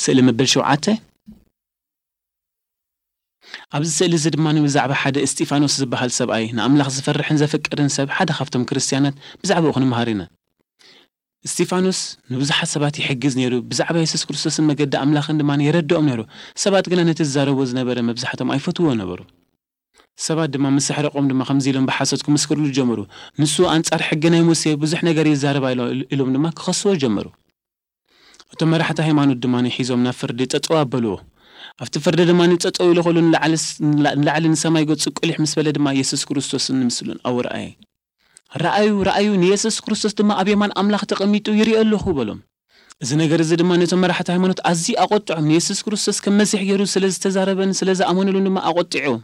ስእሊ መበል ሸውዓተ። ኣብዚ ስእሊ እዚ ድማ ብዛዕባ ሓደ እስጢፋኖስ ዝበሃል ሰብኣይ፣ ንኣምላኽ ዝፈርሕን ዘፍቅርን ሰብ፣ ሓደ ካብቶም ክርስትያናት፣ ብዛዕባኡ ክንመሃር ኢና። እስጢፋኖስ ንብዙሓት ሰባት ይሕግዝ ነይሩ፣ ብዛዕባ የሱስ ክርስቶስን መገዲ ኣምላኽን ድማ የረድኦም ነይሩ። ሰባት ግና ነቲ ዝዛረቦ ዝነበረ መብዛሕቶም ኣይፈትዎ ነበሩ። ሰባት ድማ ምስ ኣሕረቖም ድማ ከምዚ ኢሎም ብሓሶት ክምስክርሉ ጀመሩ። "ንሱ ኣንጻር ሕጊ ናይ ሙሴ ብዙሕ ነገር ይዛረብ ኣሎ" ኢሎም ድማ ክኸስዎ ጀመሩ። እቶም መራሕቲ ሃይማኖት ድማ ሒዞም ናብ ፍርዲ ጠጠው ኣበልዎ። ኣብቲ ፍርዲ ድማ ጠጠው ኢሉ ከሎ ንላዕሊ ስ-፣ ንላ-፣ ንላዕሊ ንሰማይ ገጹ ቁሊሕ ምስ በለ ድማ የሱስ ክርስቶስን ምስሉን ኣውርኣየ። "ረኣዩ፣ ረኣዩ፣ ንየሱስ ክርስቶስ ድማ ኣብ የማን ኣምላኽ ተቐሚጡ ይርኢ ኣለኹ" በሎም። እዚ ነገር እዚ ድማ ነቶም መራሕቲ ሃይማኖት ኣዝዩ ኣቖጥዖም። ንየሱስ ክርስቶስ ከም መሲሕ ገይሩ ስለ ዝተዛረበን ስለ ዝኣመኑሉን ድማ ኣቖጢዕዎም።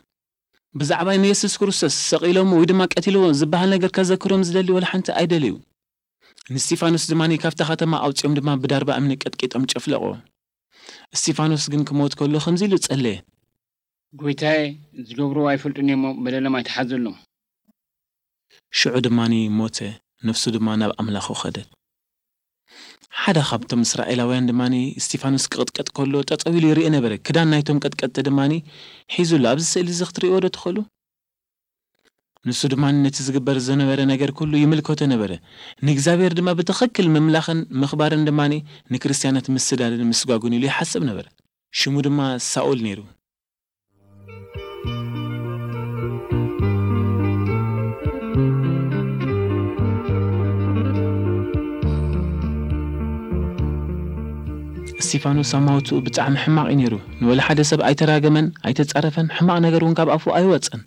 ብዛዕባ ንየሱስ ክርስቶስ ሰቒሎሞ ወይ ድማ ቀቲልዎ ዝበሃል ነገር ከዘክሮም ዝደሊ ወላ ሓንቲ ኣይደለዩ። ንስቲፋኖስ ድማ ካብታ ከተማ ኣውጺኦም ድማ ብዳርባ እምኒ ቀጥቂጦም ጨፍለቕዎ። እስቲፋኖስ ግን ክሞት ከሎ ከምዚ ኢሉ ጸለየ። "ጎይታዬ፣ ዝገብርዎ ኣይፈልጡን እሞ በደሎም ኣይትሓዘሎም።" ሽዑ ድማ ሞተ፣ ነፍሱ ድማ ናብ ኣምላኹ ኸደት። ሓደ ካብቶም እስራኤላውያን ድማ እስቲፋኖስ ክቕጥቀጥ ከሎ ጠጠው ኢሉ ይርኢ ነበረ። ክዳን ናይቶም ቀጥቀጥቲ ድማ ሒዙ ኣሎ። ኣብዚ ስእሊ እዚ ክትርእይዎ ዶ ትኽእሉ? ንሱ ድማ ነቲ ዝግበር ዝነበረ ነገር ኩሉ ይምልከቶ ነበረ። ንእግዚኣብሔር ድማ ብትኽክል ምምላኽን ምኽባርን ድማ ንክርስትያናት ምስዳድን ምስጓጉን ኢሉ ይሓስብ ነበረ። ሽሙ ድማ ሳኦል ነይሩ። እስቲፋኖስ ኣማውትኡ ብጣዕሚ ሕማቕ እዩ ነይሩ። ንወላ ሓደ ሰብ ኣይተራገመን፣ ኣይተጻረፈን፣ ሕማቕ ነገር እውን ካብ ኣፉ ኣይወጸን።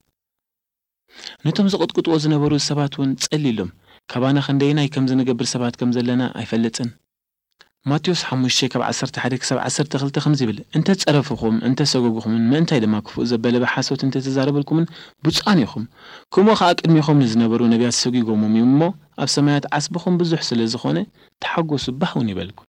ነቶም ዝቕጥቅጥዎ ዝነበሩ ሰባት እውን ጸሊሎም፣ "ካባና ክንደየናይ ከምዚ ንገብር ሰባት ከም ዘለና ኣይፈልጥን?" ማቴዎስ ሓሙሽተ ካብ ዓሰርተ ሓደ ክሳብ ዓሰርተ ክልተ ከምዚ ይብል፣ "እንተ ጸረፍኹም፣ እንተ ሰጎግኹምን፣ ምእንታይ ድማ ክፉእ ዘበለ ብሓሶት እንተ ተዛረበልኩምን፣ ብፁዓን ኢኹም። ከምኡ ኸኣ ቅድሜኹም ንዝነበሩ ነቢያት ሰጒጎሞም እዮም እሞ፣ ኣብ ሰማያት ዓስብኹም ብዙሕ ስለ ዝኾነ፣ ተሓጎሱ፣ ባህ እውን ይበልኩም።